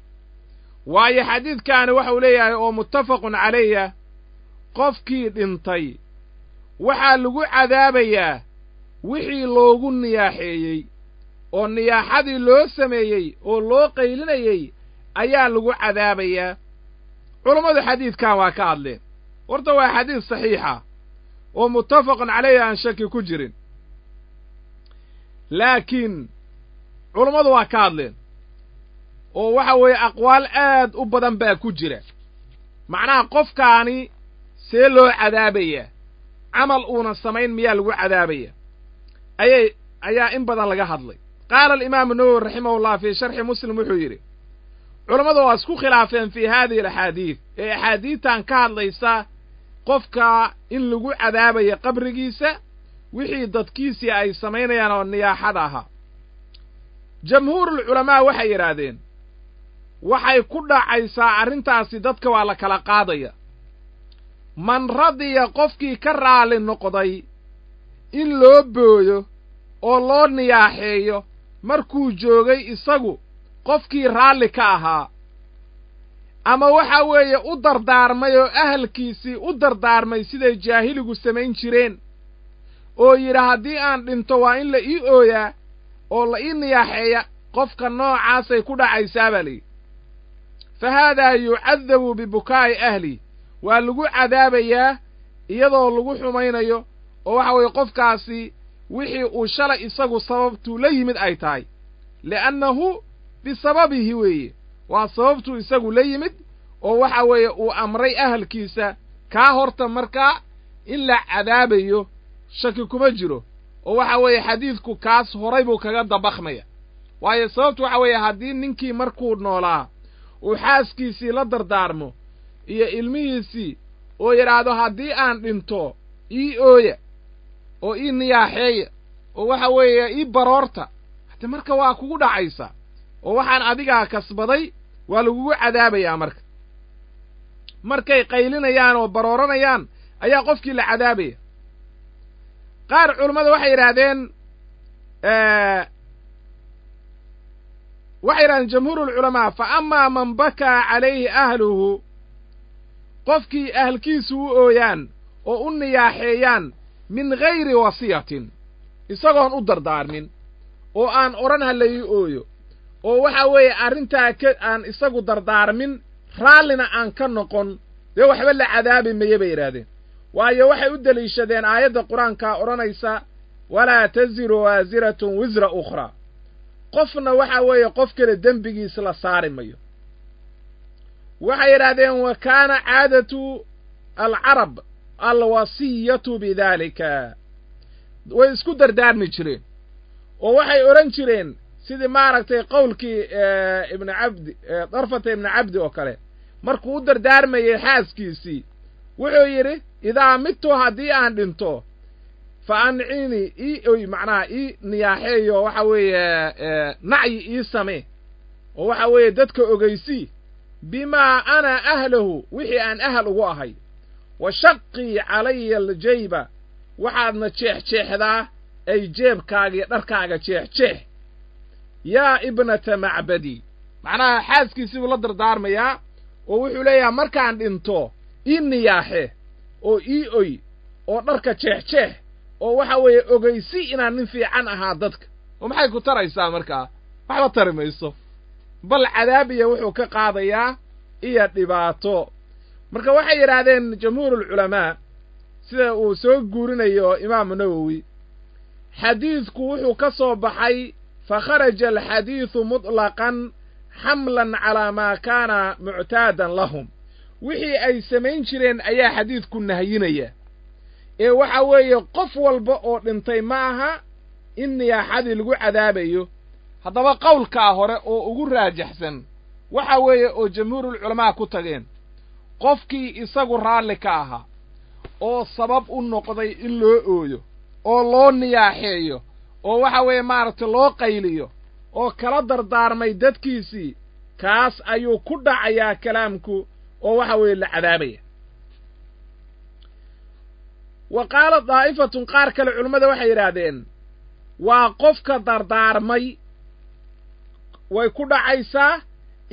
Waayo xadiidkaani waxau leeyahay oo muttafaqun calayah, qofkii dhintay waxaa lagu cadaabayaa Wixii loogu niyaaxeeyey oo niyaaxadii loo sameeyey oo loo qaylinayey ayaa lagu cadaabayaa. Culammadu xadiidkan waa ka hadleen. Horta waa xadiid saxiixa oo muttafaqun calayhi, aan shaki ku jirin, laakiin culammadu waa ka hadleen oo waxa weeye aqwaal aad u badan baa ku jira. Macnaha qofkaani see loo cadaabayaa? Camal uunan samayn miyaa lagu cadaabaya? Ayaa in badan laga hadlay. Qaala alimaamu Nawowi raximahullah fii sharxi Muslim wuxuu yidhi: culammadu waa isku khilaafeen fii haadihi alaxaadiid, ee axaadiidtan ka hadlaysa qofka in lagu cadaabayo qabrigiisa wixii dadkiisii ay samaynayaan oo niyaaxada ahaa. Jamhuurulculamaa waxay yidhaahdeen waxay ku dhacaysaa arrintaasi dadka waa la kala qaadaya. Man radiya, qofkii ka raali noqday in loo booyo oo loo niyaaxeeyo markuu joogay isagu, qofkii raalli ka ahaa ama waxa weeye u dardaarmay oo ahalkiisii u dardaarmay siday jaahiligu samayn jireen, oo yidhi haddii aan dhinto waa in la ii ooyaa oo la ii niyaaxeeya, qofka noocaasay ku dhacaysaa baa layidhi. Fa haadaa yucadabu bibukaa'i ahli, waa lagu cadaabayaa iyadoo lagu xumaynayo, oo waxa weeye qofkaasi wixii uu shalay isagu sababtuu la yimid ay tahay, li'annahu bisababihi weeye, waa sababtuu isagu la yimid oo waxa weeye uu amray ahalkiisa. Kaa horta markaa in la cadaabayo shaki kuma jiro, oo waxa weeye xadiidku kaas horay buu kaga dabaqmaya. Waayo sababtu waxa weeye haddii ninkii markuu noolaa uu xaaskiisii la dardaarmo iyo ilmihiisii oo yidhaahdo haddii aan dhinto ii ooya oo ii niyaaxeeya oo waxa weeye ii baroorta, hade marka waa kugu dhacaysa oo waxaan adigaa kasbaday, waa lagugu cadaabayaa. Marka markay qaylinayaan oo barooranayaan ayaa qofkii la cadaabaya. Qaar culammada waxay yidhahdeen jamhuurulculamaa: fa amaa man bakaa calayhi ahluhu, qofkii ahalkiisu u ooyaan oo u niyaaxeeyaan min gayri wasiyatin, isagoon u dardaarmin oo aan odhan ha la ii ooyo, oo waxa weeye arrintaa ka aan isagu dardaarmin, raallina aan ka noqon, dee waxba la cadaabi maye bay yidhaahdeen. Waayo waxay u deliishadeen aayadda qur-aankaa odhanaysa: walaa taziru waasiratun wisra ukhraa, qofna waxa weeye qof kale dembigiis la saari mayo. Waxay yidhahdeen: wa kaana caadatu alcarab alwasiyatu bidaalika, way isku dardaarmi jireen oo waxay odhan jireen sidii maaragtay qowlkii Ibni Cabdi, Darfata Ibni Cabdi oo kale, markuu u dardaarmayey xaaskiisii wuxuu yidhi: idaa midtu, haddii aan dhinto, fa ancini, ii oy, macnaha ii niyaaxeeyo, waxa weeye nacyi ii samee, oo waxa weeye dadka ogeysii bimaa ana ahlahu, wixii aan ahal ugu ahay, wa shaqii calaya aljayba, waxaadna jeexjeexdaa ay jeebkaaga iyo dharkaaga jeexjeex, yaa ibnata Macbadi. Macnaha xaaskiisii buu la dardaarmayaa oo wuxuu leeyahay markaan dhinto ii niyaaxe oo ii oy oo dharka jeexjeex oo waxa weeye ogeysi inaan nin fiican ahaa dadka. Oo maxay ku taraysaa markaa? Waxba tari mayso, bal cadaabiya wuxuu ka qaadayaa iyo dhibaato. Marka waxay yidhaahdeen jamhuurulculamaa, sida uu soo guurinayo Imaamu Nawowi, xadiidku wuxuu ka soo baxay: fa kharaja alxadiidu mutlaqan xamlan calaa maa kaana muctaadan lahum, wixii ay samayn jireen ayaa xadiidku nahyinaya, ee waxa weeye qof walba oo dhintay ma aha in niyaaxadii lagu cadaabayo. Haddaba qowlkaa hore oo ugu raajaxsan waxa weeye oo jamhuurulculamaa ku tageen, qofkii isagu raalli ka ahaa oo sabab u noqday in loo ooyo oo loo niyaaxeeyo oo waxa weeye maaragtay loo qayliyo oo kala dardaarmay dadkiisii, kaas ayuu ku dhacayaa kalaamku oo waxa weeye la cadaabaya. Wa qaala daa'ifatun, qaar kale culimmada waxay yidhaahdeen waa qofka dardaarmay way ku dhacaysaa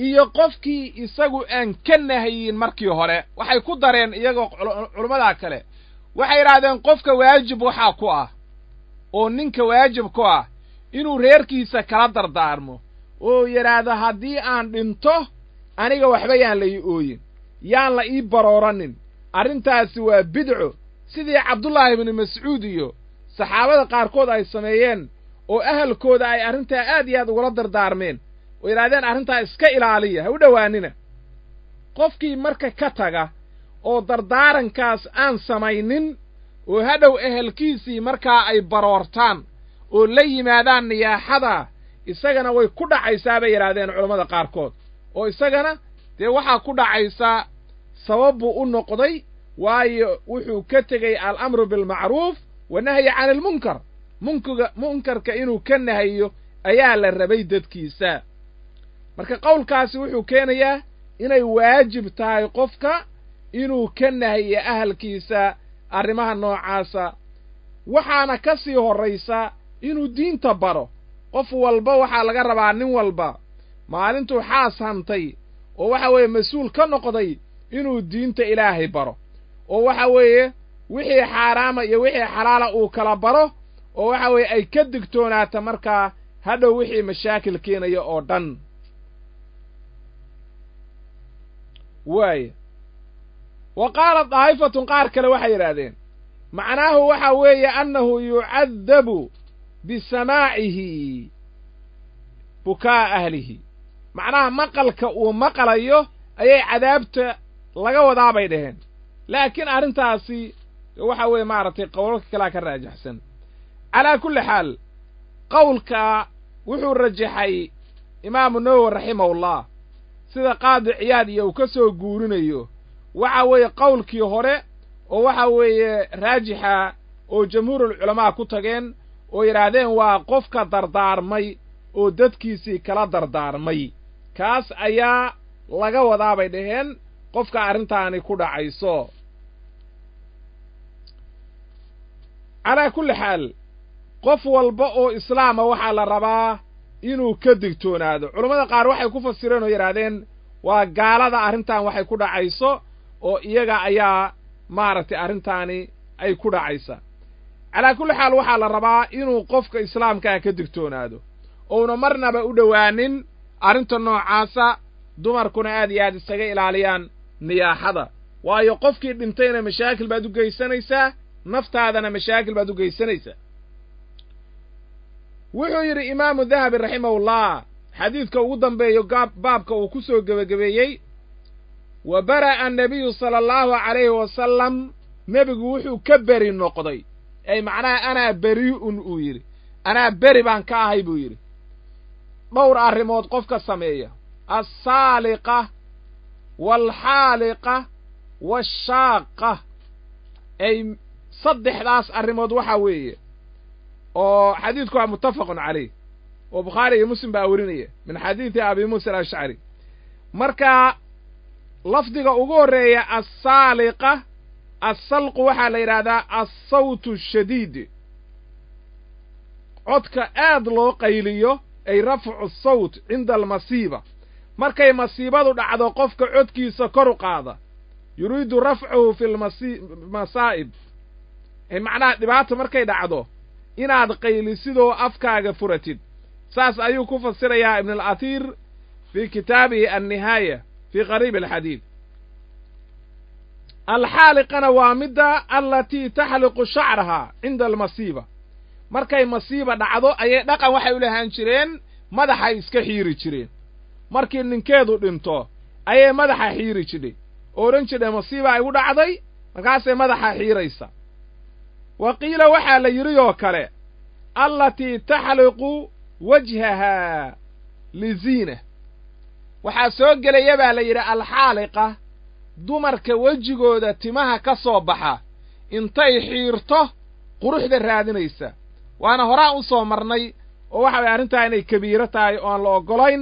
iyo qofkii isagu aan ka nahayin markii hore. Waxay ku dareen iyagoo culimmadaa kale, waxay yidhahdeen qofka waajib waxaa ku ah oo ninka waajib ku ah inuu reerkiisa kala dardaarmo oo yidhaahdo haddii aan dhinto aniga waxba yaan la ii ooyin, yaan la ii barooranin, arrintaasi waa bidco, sidii Cabdullaahi ibnu Mascuud iyo saxaabada qaarkood ay sameeyeen oo ahalkooda ay arrintaa aad iyo aad ugula dardaarmeen oo yidhahdeen arrintaa iska ilaaliya, ha u dhowaanina. Qofkii marka ka taga oo dardaarankaas aan samaynin oo hadhow ehelkiisii markaa ay baroortaan oo la yimaadaan niyaaxada, isagana way ku dhacaysaa bay yidhahdeen culammada qaarkood, oo isagana dee waxaa ku dhacaysaa sabab buu u noqday, waayo wuxuu ka tegey alamru bilmacruuf wanahyi cani almunkar, munkarka inuu ka nahayo ayaa la rabay dadkiisa. Marka qowlkaasi wuxuu keenayaa inay waajib tahay qofka inuu ka nahiyo ahalkiisa arrimaha noocaasa. Waxaana ka sii horraysa inuu diinta baro. Qof walba waxaa laga rabaa, nin walba maalintuu xaas hantay oo waxa weeye mas-uul ka noqday, inuu diinta Ilaahay baro, oo waxa weeye wixii xaaraama iyo wixii xalaala uu kala baro, oo waxa weeye ay ka digtoonaata markaa hadhow wixii mashaakil keenaya oo dhan. Waaya wa qaala daa'ifatun, qaar kale waxay yidhaahdeen macnaahu waxa weeye annahu yucadabu bisamaacihi bukaa ahlihi, macnaha maqalka uu maqlayo ayay cadaabta laga wadaa bay dhaheen. Laakiin arrintaasi waxa weeye maaragtay qowlalka kalea ka raajaxsan. Calaa kulli xaal qowlka wuxuu rajaxay Imaamu Nawowi raximahullah, sida Qaadi Ciyaad iyo uu ka soo guurinayo, waxa weeye qowlkii hore oo waxa weeye raajixa oo jamhuurulculamaa ku tageen oo yidhaahdeen waa qofka dardaarmay oo dadkiisii kala dardaarmay, kaas ayaa laga wadaa bay dhaheen qofka arrintaani ku dhacayso. Calaa kulli xaal qof walba oo islaama waxaa la rabaa inuu ka digtoonaado. Culammada qaar waxay ku fasireen oo yidhaahdeen waa gaalada arrintan waxay ku dhacayso, oo iyaga ayaa maaragtay arrintaani ay ku dhacaysa. Calaa kulli xaal waxaa la rabaa inuu qofka islaamkaa ka digtoonaado ouna marnaba u dhowaanin arrinta noocaasa. Dumarkuna aad iyo aad isaga ilaaliyaan niyaaxada, waayo qofkii dhintayna mashaakil baad u geysanaysaa, naftaadana mashaakil baad u geysanaysaa. Wuxuu yidhi Imaamu Dahabi raximahullah, xadiidka ugu dambeeyo baabka uu ku soo gebagabeeyey, wa bara'a annabiyu sala allahu calayhi wasalam, nebigu wuxuu ka beri noqday, ay macnaha anaa beri'un uu yidhi, anaa beri baan ka ahay buu yidhi, dhowr arrimood qofka sameeya: alsaaliqa waalxaaliqa waashaaqa. Ay saddexdaas arrimood waxaa weeye, oo xadiidku waa muttafaqun calayh, oo Bukhaari iyo Muslim baa werinaya min xadiidi Abi Muusa Alashcari. Marka lafdiga ugu horreeya assaaliqa, assalqu waxaa la yidhahdaa assawtu ashadiid, codka aad loo qayliyo, ay rafcu sawt cinda almasiiba, markay masiibadu dhacdo qofka codkiisa kor u qaada, yuriidu rafcuhu fi lmasaa'ib, ay macnaha dhibaata markay dhacdo inaad qaylisidoo afkaaga furatid. Saas ayuu ku fasirayaa Ibn alatiir fii kitaabihi annihaaya fii qariib alxadiid. Alxaaliqana waa midda allatii taxliqu shacrahaa cinda almasiiba, markay masiiba dhacdo ayay dhaqan waxay u lahaan jireen madaxay iska xiiri jireen. Markii ninkeedu dhinto ayay madaxa xiiri jidhay oo odhan jidhay masiiba igu dhacday, markaasay madaxa xiiraysa. Wa qiila waxaa la yidhi oo kale allatii taxliqu wajhahaa liziina, waxaa soo gelaya baa la yidhi alxaaliqa dumarka wejigooda timaha ka soo baxa intay xiirto quruxda raadinaysa. Waana horaan u soo marnay oo waxa weye arrintaa inay kabiiro tahay oo aan la oggolayn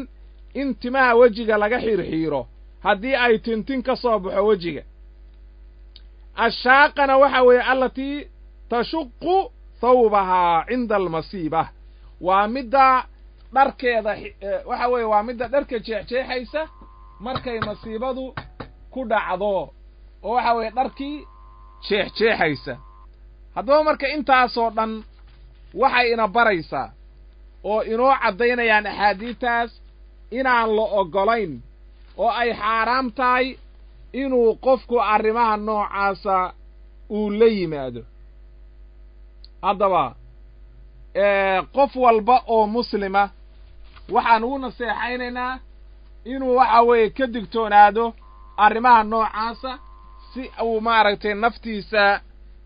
in timaha wejiga laga xiirxiiro haddii ay tintin ka soo baxo wejiga. Ashaaqana waxa weeye allatii tashuqu thawbahaa cinda almasiiba, waa midda dharkeeda waxa weeye waa midda dharka jeexjeexaysa markay masiibadu ku dhacdo, oo waxa weeye dharkii jeexjeexaysa. Haddaba marka intaasoo dhan Waxay ina baraysaa oo inoo caddaynayaan axaadiidtaas inaan la oggolayn oo ay xaaraam tahay inuu qofku arrimaha noocaasa uu la yimaado. Haddaba qof walba oo muslima waxaan ugu naseexaynaynaa inuu waxa weeye ka digtoonaado arrimaha noocaasa si uu maaragtay naftiisa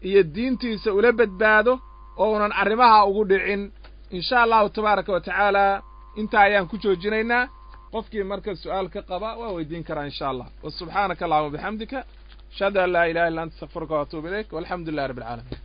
iyo diintiisa ula badbaado oo unan arrimaha ugu dhicin. In sha allahu tabaaraka wa tacaala intaa ayaan ku joojinaynaa. Qofkii marka su'aal ka qaba waa weydiin karaa in sha allah. Wa subxaanaka allahuma bixamdika, ashhadu an laa ilaha illa anta, astakfiruka wa atuubu ilayk, walxamdu lilahi rabbi alcaalamiin.